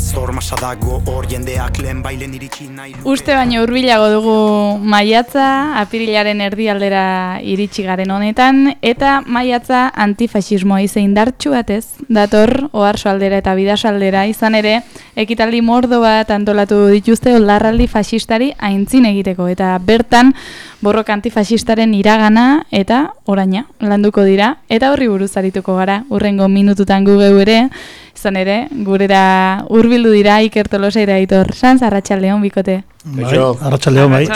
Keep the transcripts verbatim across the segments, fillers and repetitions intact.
zor masa dago hor jendeak lehen bailen iritsi nahi luke. Uste baino hurbilago dugu maiatza, apirilaren erdialdera iritsi garen honetan, eta maiatza antifaxismoa ize indartsu batez, dator Oarsoaldera eta Bidasaldera, izan ere, ekitaldi mordo bat antolatu dituzte oldarraldi faxistari aintzin egiteko, eta bertan borroka antifaxistaren iragana eta oraina landuko dira, eta horri buruz arituko gara, urrengo minututan gu geu ere, izan ere, gurera hurbildu dira Iker Tolosa eta Aitor Sanz, arratsaldeon bikote. Bai, arratsaldeon bai.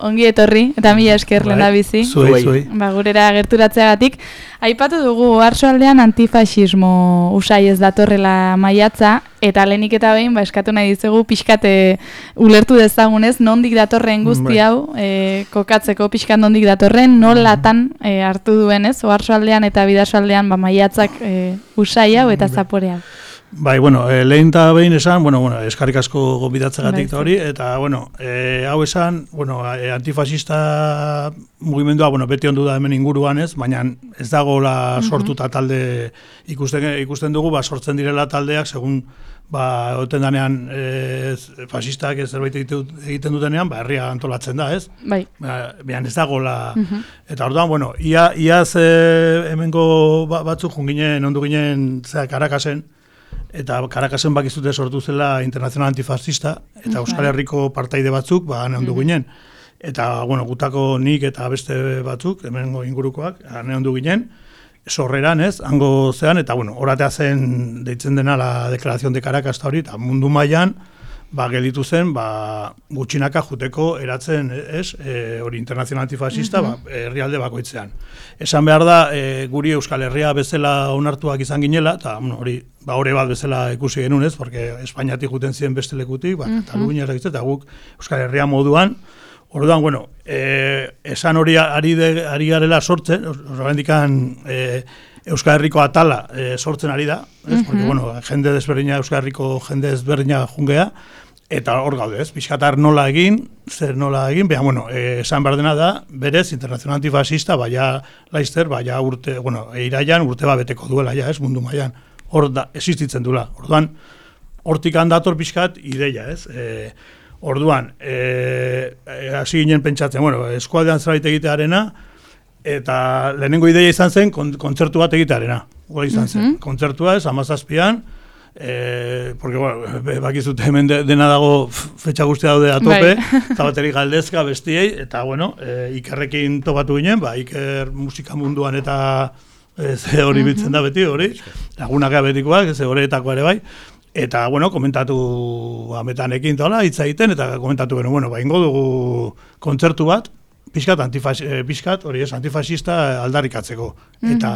Ongi etorri, eta mila esker lehen da bizi. Zuei, zuei. Ba, gurera gerturatzeagatik. Aipatu dugu Oarsoaldean antifaxismo usai ez datorrela maiatza, eta lehenik eta behin, ba, eskatu nahi dizugu pixkate ulertu dezagunez, nondik datorren guzti hau, e, kokatzeko pixkat nondik datorren, nolatan e, hartu duenez, Oarsoaldean eta Bidasoaldean ba, maiatzak e, usai hau eta zapore hau. Bai, bueno, e, lehen eta behin esan, bueno, bueno, eskarrik asko gonbidatzegatik eta hori, eta, bueno, e, hau esan, bueno, e, antifasista mugimendua, bueno, beti ondu da hemen inguruan ez, baina ez dagoela sortuta talde ikusten, ikusten dugu, ba, sortzen direla taldeak, segun, ba, oten danean e, fasistak ez zerbait egiten dutenean, ba, herria antolatzen da, ez? Bai. Ba, behan ez dagoela, uh-huh. Eta orduan, bueno, ia, iaz e, hemengo batzuk junginen, ondu ginen, zera, Karakasen, eta Karakasen bakizute sortu zela internazional antifascista, eta Euskal Herriko partaide batzuk, ba, hane ondu ginen. Eta, bueno, gutako nik eta beste batzuk, hemengo ingurukoak, hane ondu ginen, sorreran ez, hango zean, eta, bueno, horatea zen deitzen dena la deklarazion de Caracas eta hori, eta mundu mailan ba, gelditu zen, ba, gutxinaka juteko eratzen, ez, e, hori internazional antifascista, uh-huh. ba, herrialde bakoitzean. Esan behar da, e, guri Euskal Herria bezala onartuak izan ginela, eta hori, ba, hori bat bezala ikusi genuen, ez, porque Espainiatik juten ziren beste lekutik, ba, uh-huh. Katalunia, eta guk Euskal Herria moduan, orduan, bueno, e, esan hori ari, de, ari garela sortzen, horrendikan, e, Euskal Herriko atala e, sortzen ari da, ez? Uh-huh. Porque, bueno, jende desberdina, Euskal Herriko jende desberdina jungea, eta hor gaude, ez? Pixkatar nola egin, zer nola egin, beha, bueno, e, esan behar dena da, berez, internazional antifascista, baina laizter, baina urte, bueno, iraian urte ba beteko duela, ja, ez, mundu mailan, hor da, existitzen duela. Orduan, hortik handator pixkat ideia, ez? E, orduan, e, hasi ginen pentsatzen, bueno, eskualdean zerbait egitearena, eta lehenengo ideia izan zen kontzertu bat egitearena. Hora izan zen. Uh-huh. Kontzertua ez, hamazazpian, eh, porque, bueno, bakizute hemen de, dena dago fetxa guztia daude a tope, eta baterik galdezka bestiei, eta, bueno, e, Ikerrekin topatu ginen, ba, Iker musika munduan eta e, ze hori uh-huh. bitzen da beti, hori, lagunak betikoak, ze horretako ere bai, eta, bueno, komentatu ametanekin tola, hitz egiten, eta komentatu gero, bueno, ba, ingo dugu kontzertu bat, Piskat, antifas, eh, piskat, hori ez, antifasista aldarrikatzeko. Mm-hmm. Eta,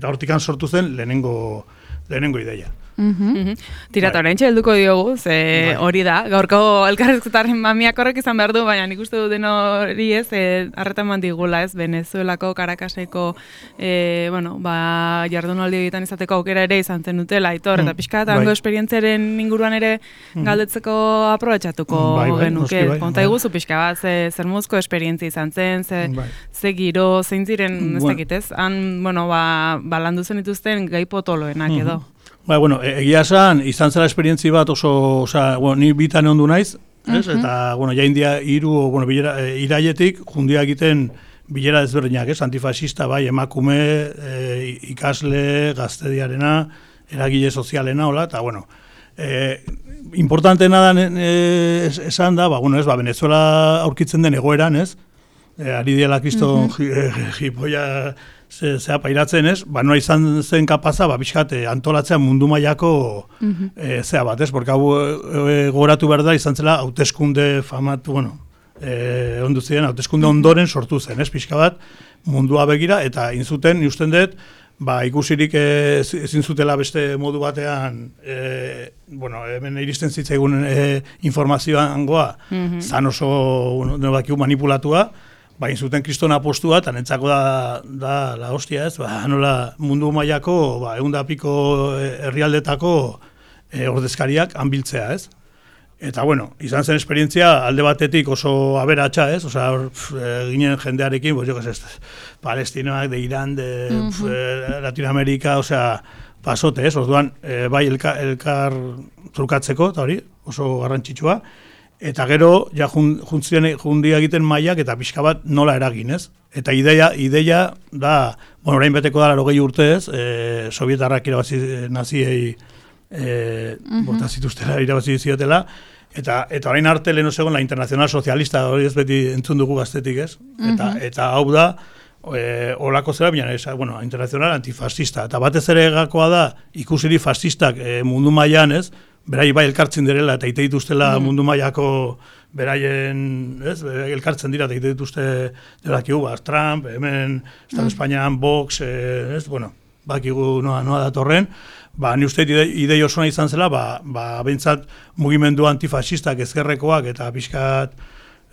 eta hortikan sortu zen lehenengo, lehenengo ideia. Mm-hmm. Mm-hmm. Tira, eta orain txelduko diogu, ze bai. Hori da, gaurko elkarrezketaren mamiak horrek izan behar du, baina nik uste duten hori ez, harretan e, mandigula ez, Venezuelako, Caracaseko, e, bueno, ba, jardunaldi egiten izateko aukera ere izan zen dutela, Aitor, mm. eta pixka, eta hango bai. Esperientziaren inguruan ere galdetzeko aprobetxatuko bai, bai, genuke. Bai, konta bai. Iguzu pixka bat, ze, zer muzko esperientzia izan zen, ze, bai. Ze giro, zein ziren, ez bueno. dakitez, han, bueno, ba, ba landu zen dituzten gai potoloenak mm-hmm. edo. Ba, bueno, egia esan, izan zela esperientzi bat oso, oza, bueno, ni bitan ondu naiz, ez? Uh-huh. Eta, bueno, ja india hiru, bueno, bilera, e, iraietik, jundia egiten bilera desberdinak, ez? Antifasista, bai, emakume, e, ikasle, gaztediarena, eragile sozialena, hola, eta, bueno, e, importantena da e, esan da, ba, bueno, ez, ba, Venezuela aurkitzen den egoeran, ez? E, ari diela kriston uh-huh. jipoia zea pairatzen ez, ba, noa izan zen kapaza, ba, bizkate, antolatzea mundu mailako uh-huh. e, zea bat, ez? Porque hau e, goratu behar da, izan zela, hauteskunde famatu, bueno, e, ondu ziren, hauteskunde ondoren sortu zen, ez? Pixka bat, mundua begira, eta inzuten, usten dut, ba, ikusirik ezin zutela beste modu batean, e, bueno, hemen iristen zitzaigun e, informazioan goa, uh-huh. zan oso, bueno, bakiu manipulatua, bain zuten kristona postua, eta nentzako da, da la hostia ez, ba, nola mundu mailako, ba, eunda piko herrialdetako e, ordezkariak hanbiltzea ez. Eta, bueno, izan zen esperientzia alde batetik oso aberatsa ez, osea, e, ginen jendearekin, pues, jo, que ez, palestinoak, de Irán, de uh-huh. e, Latinoamerika, osea, pasote ez, orduan, e, bai, elkar, elkar trukatzeko, eta hori, oso garrantzitsua. Eta gero, ja juntzien jundia egiten mailak eta pixka bat nola eragin, ez? Eta ideia, ideia da, bueno, orain beteko da larogei urte ez, e, sovietarrak irabazi naziei e, uh-huh. borta zituztela, irabazi ziotela, eta, eta orain arte lehen osegon la internacional socialista, hori ez beti entzun dugu gaztetik, ez? Eta, uh-huh. eta hau da, e, olako zera, baina, esa, bueno, internacional antifascista, eta batez ere gakoa da, ikusiri fascistak e, mundu mailan, ez? Berai bai elkartzen direla eta ite dituztela mm. mundu mailako beraien, ez, elkartzen dira eta ite dituzte delakigu, ba, Trump, hemen, Estado mm. Espainian, Vox, eh, ez, bueno, bakigu noa, noa datorren, ba, ni uste ide, idei osona izan zela, ba, ba, bentsat mugimendu antifasistak ezkerrekoak eta pixkat,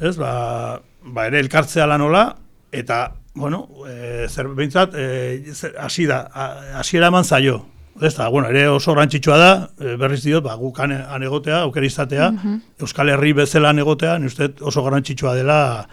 ez, ba, ba ere elkartzea lanola, eta, bueno, e, zer, bentsat, hasi e, da, hasiera eman zaio. Ez da, bueno, ere oso rantzitsua da, berriz diot, ba, guk han egotea, aukera izatea, uh-huh. Euskal Herri bezala han egotea, ni uste oso garrantzitsua dela,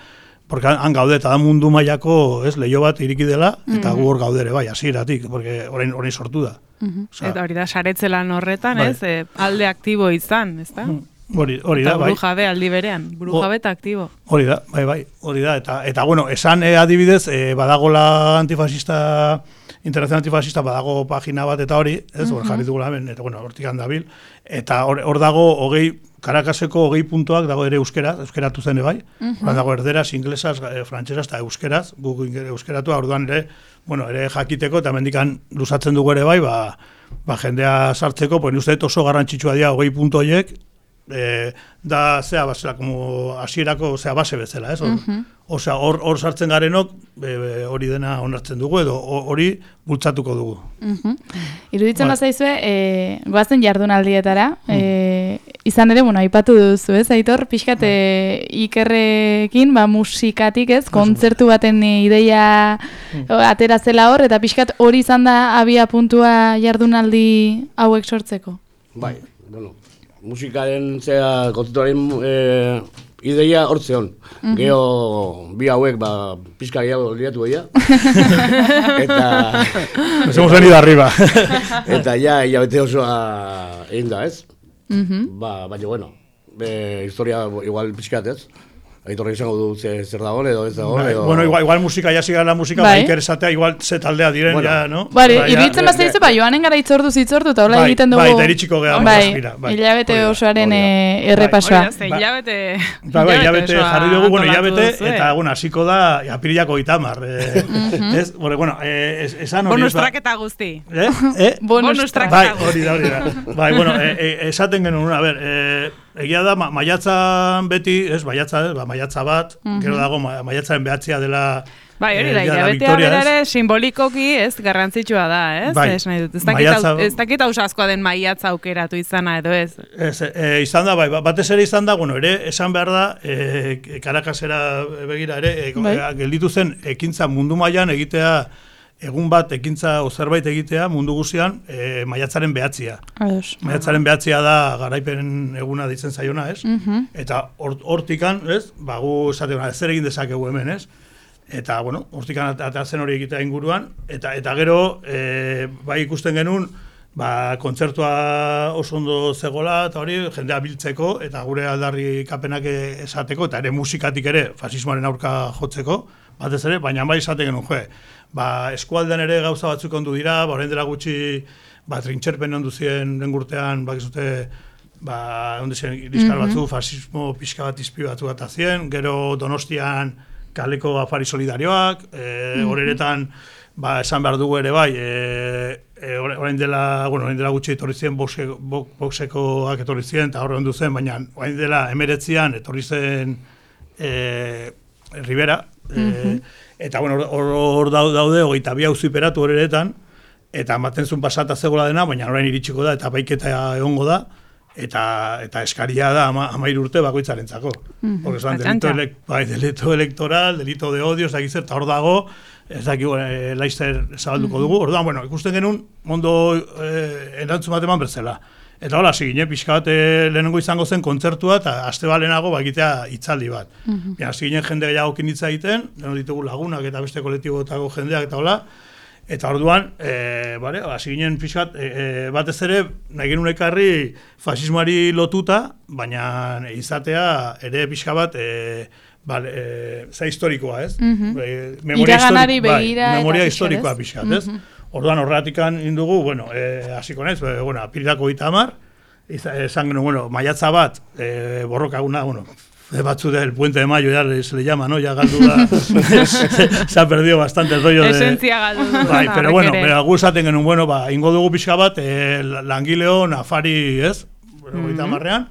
porque han gaude, eta da mundu mailako, ez, leio bat iriki dela, eta uh-huh. gu hor gaudere, bai, hasieratik, porque orain, orain sortu da. Uh-huh. Osa, eta hori da, saretzelan horretan, bai. Ez, e, alde aktibo izan, ez da? Hori, hori da, bai. Eta buru jabe aldi berean, buru jabe eta aktibo. Hori da, bai, bai, hori da, eta, eta bueno, esan e, adibidez, e, badagola antifasista, Internacional Antifasista badago pagina bat eta hori, ez, hor uh-huh. jarri dugula hemen, eta bueno, hortik handabil, eta hor, hor dago hogei, Karakaseko hogei puntuak dago ere euskeraz, euskeratu zen bai, uh-huh. hor dago erderaz, inglesaz, e, frantsesaz eta euskeraz, guk euskeratu, orduan ere, bueno, ere jakiteko, eta mendikan luzatzen dugu ere bai, ba, ba jendea sartzeko, pues uste oso garrantzitsua dira hogei puntu horiek, e, da, zea, basela, como hasierako, zea, base bezala, ez, uh-huh. Osea, hor, hor sartzen garenok, hori dena onartzen dugu, edo hori bultzatuko dugu. Uh-huh. Iruditzen ba. Bazaizue, e, goazen jardunaldietara, uh-huh. e, izan ere, bueno, aipatu duzu, ez, Aitor, pixkat uh-huh. Ikerrekin, ba, musikatik, ez, kontzertu baten ideia uh-huh. atera zela hor, eta pixkat hori izan da abia puntua jardunaldi hauek sortzeko? Bai, bueno, musikaren, zera, kontzertuaren... E, ideia hortzeon. Mm-hmm. Geo bi hauek ba pizka gehiago liatu goia. Eta nos hemos venido arriba. Eta ja ja bete osoa egin da, ez? Mhm. Ba, baina bueno, be historia igual pizkat, ez? Aitorrek izango du zer dagoen edo ez dagoen edo... Bueno, igual, igual musika, ya siga la música, bai interesatea, igual ze taldea diren, bueno, ya, no? Bari, ba, iruditzen bazte dizu, ba, joanen gara itzordu zitzordu, eta hola egiten dugu... Bai, eta eritxiko geha, bai, hilabete osoaren errepasoa. Bai, hilabete... Bai, hilabete jarri dugu, bueno, hilabete, eta, bueno, hasiko da, apirilako itamar. Ez, bueno, esan hori... Bonus traketa guzti. Eh? Bonus traketa guzti. Bai, hori da, hori da. Bai, bueno, esaten genuen, a ver... Egia da, ma, maiatzan beti, ez, maiatza, ez, ba, maiatza bat, uh-huh. gero dago, ma, maiatzaren behatzia dela... Bai, hori da, hilabetea berare simbolikoki, ez, garrantzitsua da, ez? Bai, ez nahi dut, ez dakit ausaskoa den maiatza aukeratu izana edo ez? Ez, e, izan da, bai, batez ere izan da, bueno, ere, esan behar da, e, Karakasera begira ere, e, bai. e, gelditu zen, ekintza mundu mailan egitea, egun bat ekintza o zerbait egitea mundu guztian e, maiatzaren behatzia. Ados. Maiatzaren behatzia da garaipen eguna ditzen zaiona, ez? Uh-huh. Eta hortikan, ez? Ba, gu esateuna, zer egin dezakegu hemen, ez? Eta, bueno, hortikan atatzen hori egitea inguruan, eta eta gero, e, bai ikusten genuen, ba, kontzertua oso ondo zegoela, eta hori, jendea biltzeko, eta gure aldarri kapenak esateko, eta ere musikatik ere, fasismoaren aurka jotzeko, batez ere, baina bai esaten genuen, jo, ba, eskualdean ere gauza batzuk ondu dira, ba, orain dela gutxi, ba, trintxerpen ondu ziren lengurtean, bakizute, ba, onde ziren diskar batzu, fasismo pixka bat izpi batzu bat azien, gero Donostian kaleko afari solidarioak, e, horretan, ba, esan behar dugu ere bai, e, e, orain dela, bueno, orain dela gutxi etorri ziren boxekoak etorri ziren, eta horre ondu zen, baina orain dela emeretzian etorri zen e, Rivera, uh-huh. e, eta bueno, hor daude, hogeita bi auziperatu horretan, eta ematen zuen pasata zegoela dena, baina orain iritsiko da, eta baiketa egongo da, eta eta eskaria da ama, amairu urte bakoitzarentzako. Uh-huh. Porque son delito, elek, bai, delito electoral, delito de odio, ez dakiz eta hor dago, ez dakiz e, laizter zabalduko uh-huh. dugu, orduan, bueno, ikusten genuen, mondo e, erantzun bat eman berzela. Eta hola, zigine, pixka bat lehenengo izango zen kontzertua, eta aste balenago bakitea hitzaldi bat. Uh-huh. Zigine jende gehiago kinitza egiten, lehenu ditugu lagunak eta beste kolektibotako jendeak eta hola, Eta orduan, e, bale, hasi ginen pixkat, e, e, batez ere, nahi genuen ekarri fasismoari lotuta, baina izatea ere pixka bat, e, bale, e, za historikoa, ez? Mhm. E, memoria Iraganari histori- bai, begira eta memoria pixka, historikoa ez? pixkat, ez? Orduan horratikan indugu, bueno, e, hasiko naiz, e, bueno, apirilako hogeita hamar, iza- esan genuen, bueno, maiatza bat, e, borrokaguna, bueno, de batzu del Puente de Mayo, ya se le llama, ¿no? Ya galdu da, se ha perdido bastante el rollo de... Esentzia galdu du. Bai, pero bueno, ere. pero gu esaten genuen, bueno, ba, ingo dugu pixka bat, e, langileo, nafari, ez? Hogeita hamarrean,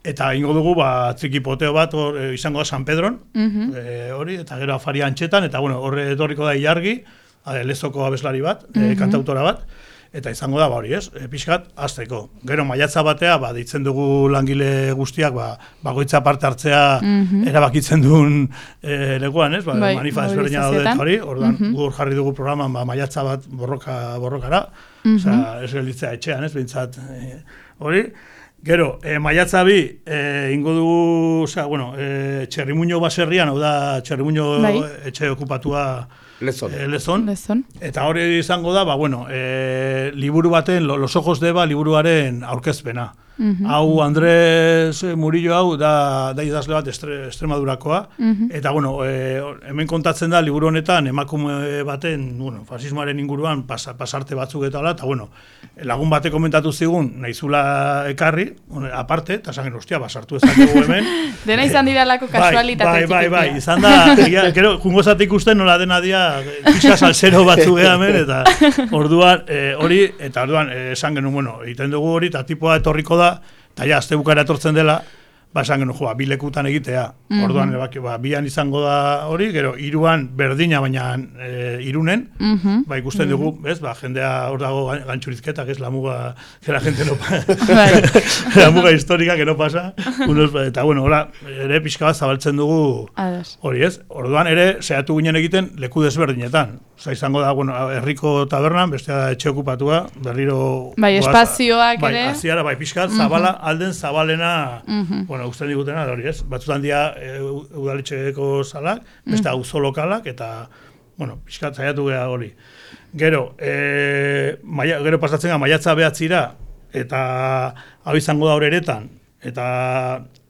eta ingo dugu, ba, trikipoteo bat, hor, e, izango da San Pedron, e, hori, eta gero afari antxetan, eta bueno, horre etorriko da Ilargi, a, lezoko abeslari bat, e, kantautora bat, eta izango da, ba, hori, ez? E, pixkat, azteko. Gero, maiatza batea, ba, ditzen dugu langile guztiak, ba, bagoitza parte hartzea erabakitzen duen e, lekuan, ez? Ba, Bai, manifa ezberdina daude eta mobilizazioetan. hori, orduan, gu hor jarri dugu programan, ba, maiatza bat borroka, borrokara, osea, ez gelditzea etxean, ez? Bintzat, e, hori. Gero, e, maiatza bi, e, ingo dugu, osea, bueno, e, Txerrimuño baserrian, hau da, Txerrimuño Bai. etxe okupatua Lezon. e, Lezon. Lezon. Eta hori izango da, ba, bueno, e, liburu baten, Lo- Los ojos de Eva liburuaren aurkezpena. Hau Andrés Murillo hau da, da idazle bat estre, Extremadurakoa, eta bueno, e, hemen kontatzen da liburu honetan emakume baten, bueno, fasismoaren inguruan pasa, pasarte batzuk eta hala, eta bueno, lagun batek komentatu zigun, nahizula ekarri, one, aparte, eta esan genuen, ostia, basartu ezakegu hemen. Dena izan diralako kasualitate Bai, bai, bai, txikitia. izan da, egia, gero, jungo zate ikusten nola dena dia, pixka salsero batzu geha hemen, eta orduan, e, hori, eta orduan, e, esan genuen, bueno, egiten dugu hori, eta tipoa etorriko da, eta ja, azte bukara etortzen dela, ba, esan genuen, joa, bi lekutan egitea. Orduan, e, baki, ba, bian izango da hori, gero, hiruan berdina, baina e, irunen, ba, ikusten dugu, ez, ba, jendea hor dago gan- gantxurizketa, que es la muga, que la gente no pasa, la muga histórica que no pasa, unos, eta bueno, hola, ere pixka bat zabaltzen dugu, Ados. hori ez, orduan ere, sehatu ginen egiten leku desberdinetan. Osa, izango da, bueno, herriko tabernan, bestea da etxe okupatua, berriro... Bai, goaz- espazioak bai, ere. Aziara, bai, pixkat, zabala, alden zabalena, bueno, usten digutena, da hori ez, batzutan dia e, u- udaletxeko salak, beste auzo lokalak, eta, bueno, pixkat zaiatu geha hori. Gero, e, maia, gero pasatzen ga, maiatza behatzira, eta hau izango da horeretan, eta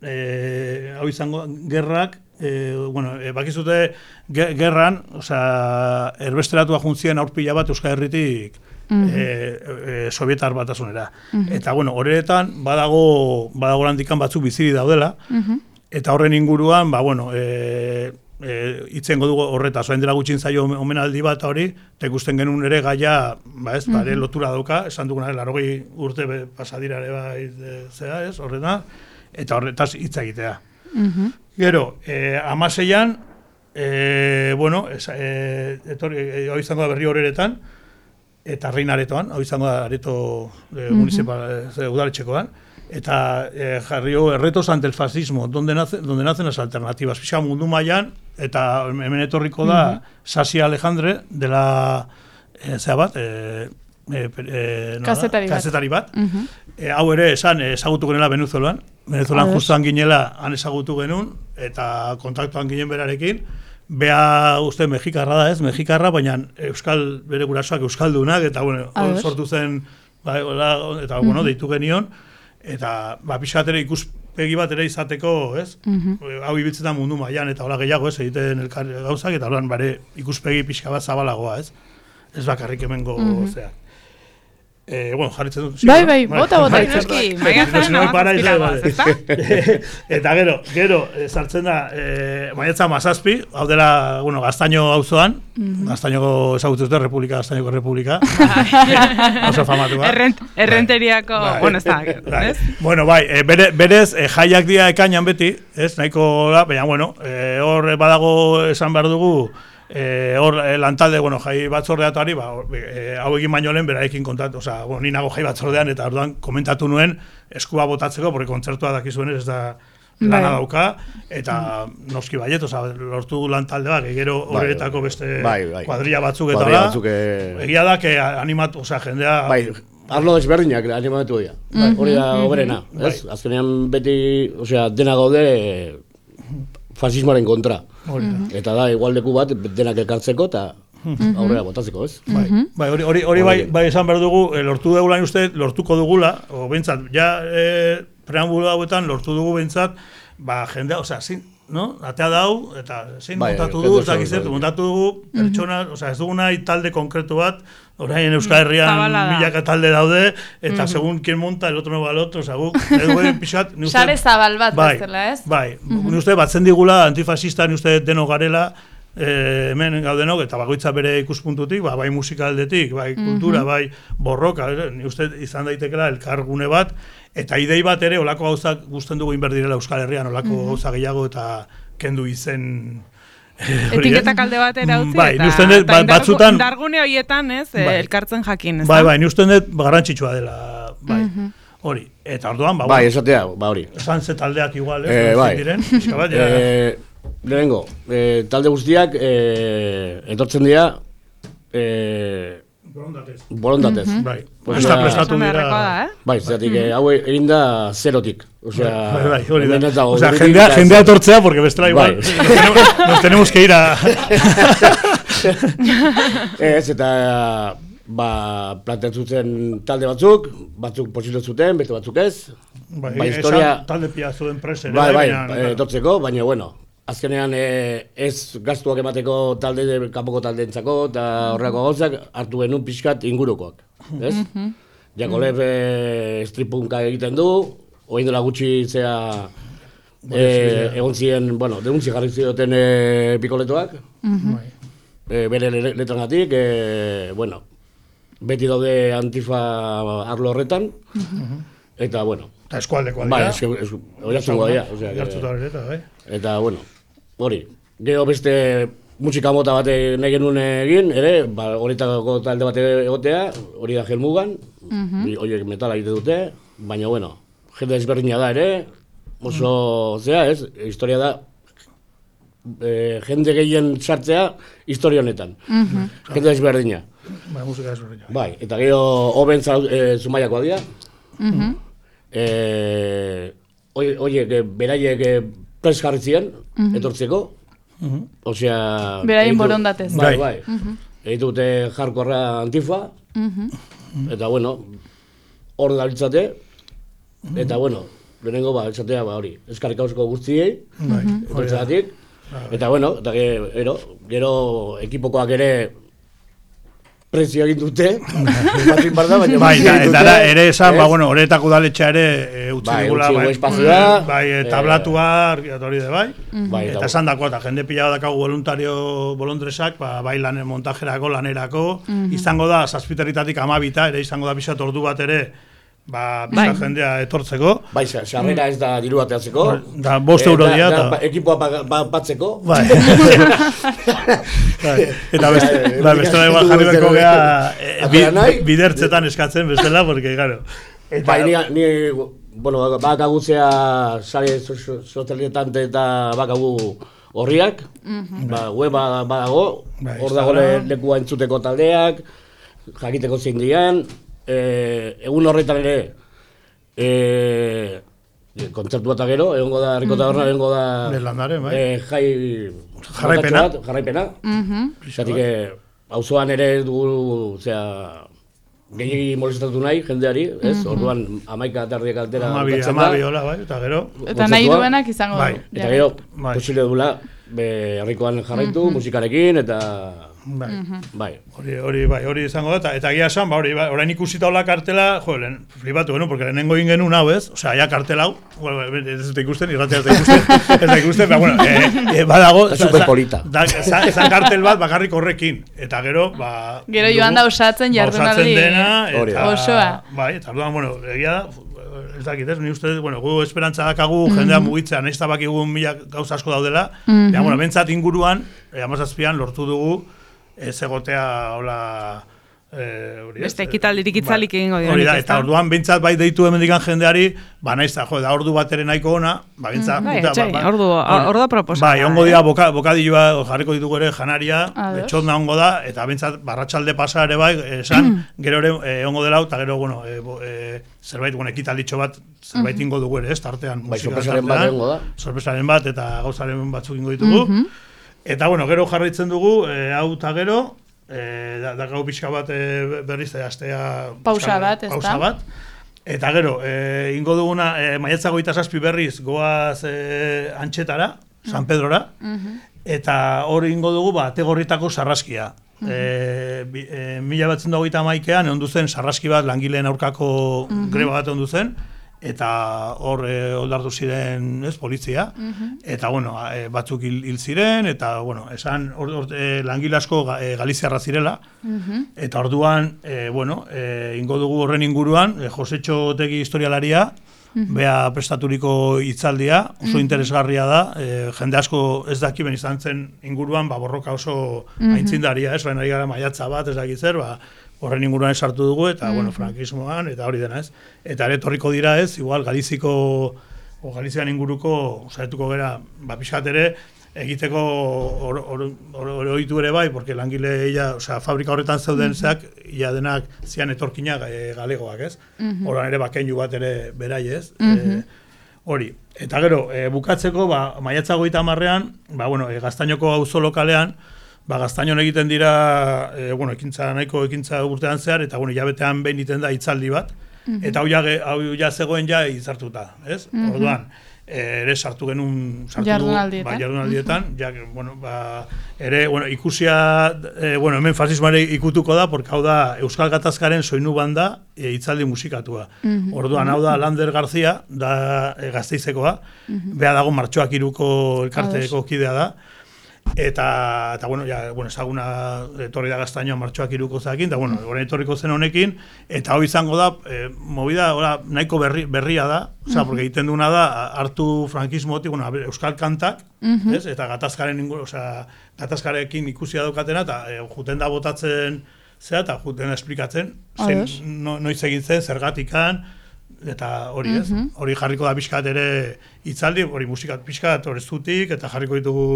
e, hau izango gerrak, e, bueno, e, bakizute ge, gerran, osea, erbesteratua juntzien aurpila bat Euskal Herritik e, e, Sovietar batasunera. Eta, bueno, horeretan badago, badago landikan batzuk biziri daudela, eta horren inguruan, ba, bueno, e, e, itzengo dugu horretaz, orain dela gutxin zaio omenaldi bat hori, eta ikusten genuen ere gaia, ba ez, bare lotura dauka, esan duguna, larogei urte be, pasadira ere bai, e, zera ez, horreta, eta horretaz hitz egitea. Gero, eh, amaseian, eh, bueno, es, eh, etorri, eh, hau izango da berri horeretan, eta reinaretoan, hau izango da areto eh, municipal, eh, udaletxekoan, eta eh, jarrio retos ante el fascismo, donde, nace, donde nacen las alternativas. Pixka mundu mailan, eta hemen etorriko da Sasi Alejandre, de la, eh, zera bat, eh, eh, eh, nola da? Kazetari bat. Kazetari bat. E, hau ere esan eh, ezagutu genela Venezuelan. Venezuelan justuan ginela han ezagutu genuen, eta kontaktuan ginen berarekin. Bea uste mexikarra da ez, mexikarra, baina euskal, bere gurasoak euskaldunak, eta bueno, hor Ados. sortu zen, ba, hola, eta bueno, deitu genion, eta ba, pixkat ere ikuspegi bat ere izateko, ez? E, hau ibiltzetan mundu mailan eta hola gehiago, ez, egiten elkar gauzak, eta holan bare ikuspegi pixka bat zabalagoa, ez? Ez bakarrik hemengo, zea. Eh, bueno, jarritzen dut. Bai, bai, bota, bota. Bai, Noski, bai, maiatzaren si no me paráis, hamazazpira vale. goaz, ezta? Eta gero, gero, eh, sartzen da, eh, maiatza mazazpi, hau dela, bueno, Gaztaino auzoan, Gaztainoko ezagutzen dute, Republika, Gaztainoko Republika. Oso famatua. Errent, errenteriako, Bai. bueno, ez da, Bai. ez? Bueno, bai, e, bere, berez, e, jaiak dira ekainan beti, ez, nahiko da, baina, bueno, e, hor badago esan behar dugu, e, hor e, lantalde, bueno, jai batzordeatuari, ba, hor, e, hau egin baino lehen berarekin kontatu, osea, bueno, ni nago jai batzordean, eta orduan komentatu nuen eskua botatzeko, porque kontzertua dakizuenez ez da lana Bai. dauka, eta noski baiet, osea, lortu lantalde bat, gero horretako beste Bai, bai. kuadrilla batzuk eta Kuadrilla da, batzuk, eh, egia da, que animatu, osea, jendea... Bai, arlo desberdinak animatu dira. Hori da oberena, ez? Bai. Azkenean beti, osea, dena gaude fasismoaren kontra. Hori da. Eta da, igualdeku bat denak elkartzeko, eta aurrera botatzeko, ez? Bai, bai, hori, hori, hori bai, bai esan behar dugu, e, lortu dugula uste, lortuko dugula, o bentsat, ja e, preambulo hauetan lortu dugu bentsat, ba, jendea, osea, zin, no? Atea dau, eta zein bai, montatu du, eta gizertu, montatu dugu, pertsona, osea, ez dugu nahi talde konkretu bat, orain Euskal Herrian milaka talde daude, eta mm-hmm. segun quien monta, el otro no va al otro, osea, guk, edo pixat, ni uste... Sare zabal bat bai, bezala, ez? Bai, mm-hmm. ni uste batzen digula, antifasista, ni uste denok garela, eh, hemen gaudenok, eta bakoitza bere ikuspuntutik, ba, bai musika aldetik, bai kultura, mm-hmm. bai borroka, ni uste izan daitekela elkargune bat, eta idei bat ere, olako gauzak guztien dugu inberdirela Euskal Herrian, olako mm-hmm. gauza gehiago eta kendu izen... Etiketak alde batera utzi, bai, eta, dut, eta batzutan, indargune horietan, ez, bai, elkartzen jakin, ez bai, bai, ni uste dut garrantzitsua dela, bai, mm-hmm. hori, eta orduan, ba, bai, esatea, ba, hori. Esan ze taldeak igual, eh, bai. diren, pixka bat, ja. Eh, lehenengo, eh, talde guztiak eh, etortzen dira, eh, Borondatez. Borondatez. Mm-hmm. Bai. Presta, prestatu dira. Eh? Bai, zeratik, mm-hmm. hau egin da zerotik. Osea, bai, bai, hori da. Osea, jendea, jendea etortzea, porque bestela igual bai. nos, tenemos, nos tenemos que ir a... Ez, eta ba, planteatzen talde batzuk, batzuk posible zuten, beste batzuk ez. Bai, ba, historia... talde piazu enpresa. Bai, bai, bai etortzeko, baina, bueno, azkenean eh, ez gastuak emateko talde, kanpoko taldeentzako eta horrelako gauzak hartu genuen pixkat ingurukoak, ez? Mm-hmm. Jakolev eh, stripunka egiten du, oain dela gutxi zea eh, egon ziren, bueno, denuntzi jarri zioten eh, pikoletoak, mm-hmm. eh, bere letrangatik, eh, bueno, beti daude antifa arlo horretan, mm-hmm. eta, bueno, eta eskualdekoa dira. Bai, es, es, oiartzungo dira. Bai. Eta, bueno, hori. Gero beste musika mota bat nahi genuen egin, ere, ba, horietako talde bat egotea, hori da Helmugan, mm-hmm. horiek metala egite dute, baina, bueno, jende ezberdina da ere, oso, mm. zera, ez, historia da, e, jende gehien sartzea historia honetan. Mm-hmm. Jende ezberdina. Bai, musika ezberdina. Bai, eta gero hoben e, Zumaiakoa dira. Mm-hmm. Eh, oie, beraiek prez jarri ziren, mm-hmm. etortzeko, mm-hmm. osea... Beraien borondatez. Bai, bai. Mm-hmm. Egitute jarkorra antifa, mm-hmm. eta bueno, hor da litzate, mm-hmm. eta bueno, lehenengo ba, etxatea ba hori, eskarrik hausko guztiei, mm-hmm. etortzagatik, eta bueno, eta gero, gero ekipokoak ere prezio egin dute, batzuk barda, baina bai, eta da, ere esan, ba, bueno, horretako udaletxea ere e, utzi bai, digula, bai, espazioa, bai, e, tablatua, hori de, bai, mm-hmm. bai, eta esan dako, eta jende pila dakagu voluntario bolondresak, ba, bai lan montajerako, lanerako, mm-hmm. izango da, zazpiterritatik amabita, ere izango da pixat ordu bat ere, ba, pixat bai. jendea etortzeko. Bai, sarrera ez da diru bateatzeko. Da, bost euro dia. Da, da, ekipoa batzeko. Bai. Eta beste da igual jarri beko geha bidertzetan eskatzen bestela, porque, claro. Bai, ni, bueno, bakagutzea sare sozialetan eta bakagu horriak, ba, weba badago, hor dago lekua entzuteko taldeak, jakiteko zein dian, Eh, egun horretan ere eh, kontzertu bat gero, egongo da, Herriko Taberna, egongo da Berlandaren, bai. eh, jai jarraipena, bat, jarraipena. Zatik, auzoan ere dugu, zera, gehiagi molestatu nahi, jendeari, ez? Orduan, amaika tardiak altera amabi, amabi, hola, bai, eta gero. Eta nahi duenak izango bai. du. Eta gero, bai. Posible dula, Herrikoan jarraitu, mm-hmm. musikarekin, eta... Bai. Mm-hmm. bai. Hori, hori, bai, hori izango da, eta, eta gia esan, ba, hori, bai, orain ikusita hola kartela, jo, lehen, flipatu, bueno, porque lehenengo egin genuen hau, ez? Osea, ja kartela hau, bueno, ez dut ikusten, irratzea ez da ikusten, ez da ikusten, pero bueno, eh, eh, badago... Da superpolita. Zan kartel bat bakarrik horrekin, eta gero, ba... Gero joan da osatzen jardunaldi. Osatzen dena, eta... Osoa. Bai, eta orduan, bueno, egia da, ez dakit, ez, ni uste, bueno, gu esperantza dakagu, mm-hmm. jendea mugitzea, nahiz tabakigu mila gauza asko daudela, mm-hmm. ja, bueno, bentsat inguruan, amazazpian lortu dugu, ez egotea, hola... Eh, hori, beste ekitaldirik itzalik ba, egingo hori da, eta orduan bintzat bai deitu hemendikan jendeari, ba naiz da, jo, da ordu bat ere nahiko ona, ba bintzat... Mm, bai, etxai, ba, ordu, ordu proposa. Bai, ongo dira, boka, bokadilloa jarriko ditugu ere janaria, betxotna ongo da, eta bintzat barratxalde pasa ere bai, esan, gero ere eh, ongo dela, eta gero, bueno, eh, eh, zerbait, bueno, ekitalditxo bat, zerbait ingo dugu ere, ez, tartean. Bai, sorpresaren bat ingo da. Sorpresaren bat, eta gauzaren batzuk ingo ditugu. Eta, bueno, gero jarraitzen dugu, e, hau eta gero, e, da, da gau pixka bat e, berriz e, astea... Pausa bat, ez pausa da? bat. Eta gero, e, ingo duguna, e, maiatza goita zazpi berriz, goaz e, Antxetara, San Pedrora, eta hor ingo dugu, ba, Tegorritako sarraskia. Uh-huh. E, bi, e, mila batzen dagoita maikean, ondu zen sarraski bat langileen aurkako uh-huh. greba bat ondu zen, eta hor e, oldartu ziren, ez, polizia, uh-huh. eta, bueno, e, batzuk hil, hil ziren, eta, bueno, esan, or, or, e, langile asko ga, e, galiziarra zirela, uh-huh. eta orduan, e, bueno, e, ingo dugu horren inguruan, e, Josetxo Otegi historialaria, uh-huh. bea prestaturiko hitzaldia, oso uh-huh. interesgarria da, e, jende asko ez daki ben izan zen inguruan, ba, borroka oso uh-huh. aintzindaria, ez, baina ari gara maiatza bat, ez dakit zer, ba, horren inguruan esartu dugu, eta, mm-hmm. bueno, frankismoan, eta hori dena ez. Eta ere torriko dira ez, igual Galiziko, o Galizian inguruko, osaetuko gera, ba, pixkat ere, egiteko oroitu ere bai, porque langile, ia, osea, fabrika horretan zeuden mm-hmm. zeak, ia denak zian etorkinak e, galegoak ez. Mm-hmm. Horan ere bakeinu bat ere berai ez. Mm-hmm. E, hori. Eta gero, e, bukatzeko, ba, maiatza goita hamarrean, ba, bueno, e, Gaztainoko auzo lokalean, ba, Gaztainon egiten dira, e, bueno, ekintza nahiko ekintza urtean zehar, eta bueno, jabetean behin iten da hitzaldi bat, mm-hmm. eta hau ja, hau ja zegoen ja hitzartuta, ez? Mm-hmm. Orduan, e, ere sartu genuen, sartu jardunaldietan, ba, jardunaldietan, mm-hmm. ja, bueno, ba, ere, bueno, ikusia, e, bueno, hemen fasismoare ikutuko da, porque hau da Euskal Gatazkaren soinu banda e, hitzaldi musikatua. Mm-hmm. Orduan, hau da Lander Garzia, da e, Gasteizekoa, mm-hmm. beha dago Martxoak Iruko elkarteko kidea da, Eta, eta bueno, ja, bueno, ezaguna etorri da Gaztainoa Martxoak Iruko zakin, eta bueno, orain etorriko zen honekin, eta hau izango da, e, movida ora, nahiko berri, berria da, osea, porque egiten duna da, hartu frankismotik, bueno, euskal kantak, uh-huh. ez? Eta gatazkaren inguru, osea, gatazkarekin ikusia daukatena, eta e, juten da botatzen zea, eta juten da esplikatzen, zen, no, noiz egin zen, zergatikan, eta hori ez, uh-huh. hori jarriko da pixkat ere hitzaldi, hori musikat pixkat, hori zutik, eta jarriko ditugu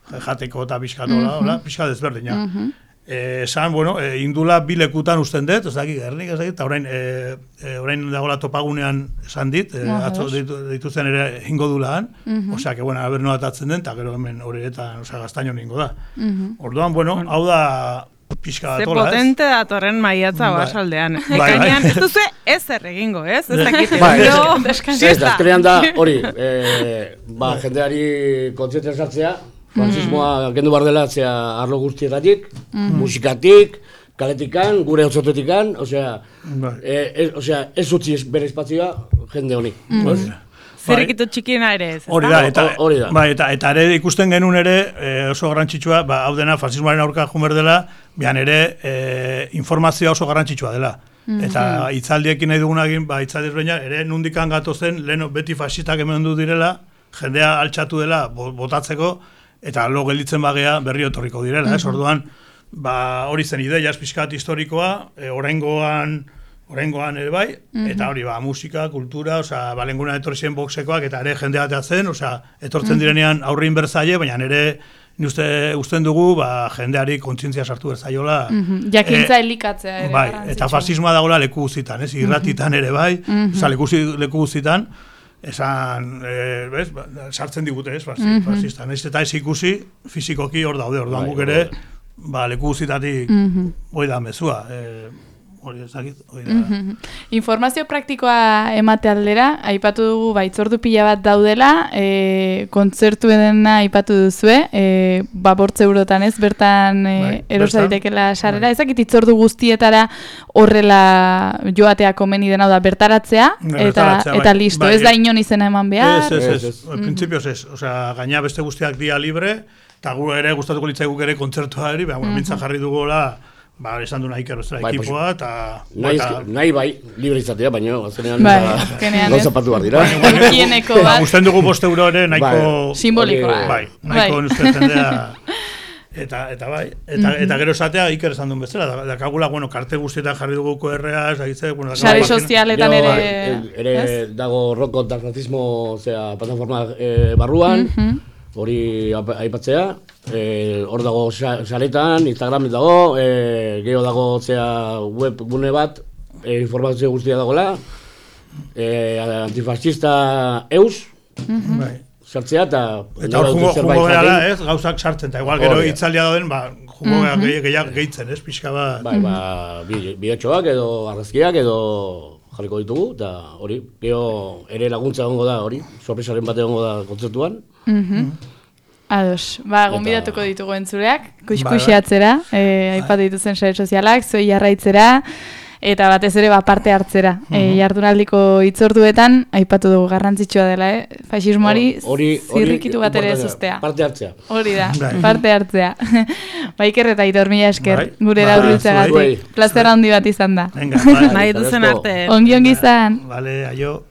jateko eta pixkatola, uh-huh. pixkat ezberdina. Uh-huh. Esan, bueno, e, indula bi lekutan usten dut, ez dakik, Gernik ez dakik, eta orain, e, e, orain dagoela topagunean esan dit, e, uh-huh. atzo dituzten ere ingo dulaan, uh-huh. osea, que, bueno, haber noatatzen den, eta gero hemen horietan, osea, Gaztainon ingo da. Uh-huh. Orduan, bueno, hau da pixka datola, ez? Ze potente datorren maiatza bai. Basaldean. Bai, bai. Ekainean, ez duzu ezer egingo, ez? Ez dakit, bai, no, ez da, azkenean da, hori, e, ba, jendeari kontzientzia sartzea, frankismoa kendu behar dela zea arlo guztietatik, mm-hmm. musikatik, kaletikan, gure otzotetikan, osea, e, e, osea, ez utzi bere espazioa jende honi. Mm-hmm. Zerikito txikiena ere ez. Hori da, eta, hori da. Ba, eta, eta ere ikusten genuen ere e, oso garrantzitsua, ba, hau dena fasismoaren aurka jumer dela, bian ere e, informazioa oso garrantzitsua dela. Mm-hmm. Eta hitzaldiekin nahi dugunagin, ba, hitzaldiz baina, ere nundikan gatozen, lehen beti fasistak hemen du direla, jendea altxatu dela botatzeko, eta lo gelditzen bagea berri etorriko direla, ez? Orduan, ba, hori zen ideia, pixkat historikoa, e, oraingoan, oraingoan ere bai, eta hori, ba, musika, kultura, osea, balenguna etorri zen boxekoak, eta ere jendea zen, osea, etortzen direnean aurrin berzaile, baina ere, ni uste, usten dugu, ba, jendeari kontzientzia sartu berzaiola. Jakintza elikatzea ere. Bai, eta fasismoa dagoela leku guztitan, ez? Irratitan ere bai, osea, leku guztitan, esan, e, bez, sartzen digute ez, mm-hmm. fasista, nahiz eta ez ikusi, fizikoki hor daude, orduan guk ere, ba, leku guztitatik mm-hmm. hori da mezua, e, hori ezakit, hori da. Mm-hmm. Informazio praktikoa emate aldera, aipatu dugu, ba, itzordu pila bat daudela, e, kontzertu edena aipatu duzue, e, ba, bortze eurotan ez, bertan e, bai, erosa ditekela sarrera, bai. Ezakit itzordu guztietara horrela joatea komeni dena da bertaratzea, eta, bertaratzea, eta bai. Listo, bai, ez da inon izena eman behar. Ez, ez, ez, ez. Mm-hmm. Principios ez, osea, gaina beste guztiak dia libre, eta gu ere, gustatuko litzaiguk ere kontzertua eri, baina mm-hmm. mintzan jarri dugola, ba, esan du nahi kerrozera bai, ekipoa, eta... Nahi, eta... nahi bai, libre izatea, baina azkenean bai, gauza patu behar dira. Higieneko bat. Gusten dugu bost euro ere, nahiko... Bai. Simbolikoa. Bai, nahiko nuzte jendea... Eta, eta bai, eta, mm-hmm. eta gero esatea Iker esan duen bezala, da, dakagula, bueno, karte guztietan jarri dugu Q R A, esagitze, bueno... Sare sozialetan ere... Ere dago roko transnatismo, zera, plataforma eh, barruan, mm-hmm. hori aipatzea, eh, hor dago saretan, Instagram dago, eh, geho dago zera web gune bat, eh, informazio guztia dagoela, eh, antifascista eus, mm-hmm. sartzea eta... Eta hor jungo, jungo gerala, ez, gauzak sartzen, eta igual gero hitzaldia dauden, ba, Jugo gehiago gehitzen, ez, pixka bat. Bai, ba, bideotxoak edo argazkiak edo jarriko ditugu, eta hori, gero ere laguntza egongo da, hori, sorpresaren bat egongo da kontzertuan. Ados, ba, gonbidatuko ditugu entzuleak, kuskusiatzera, aipatu dituzen sare sozialak, zuei jarraitzera, eta batez ere ba, parte hartzera. Uh -huh. e, jardunaldiko hitzorduetan, aipatu dugu garrantzitsua dela, eh? Faxismoari zirrikitu bat ere zuztea. Parte hartzea. Hori da, parte hartzea. Ba, Iker eta Aitor, mila esker, gure eraurbiltzagatik. Plazer handi bat izan da. Nahi duzen arte. Ongi ongi izan. Vale, aio.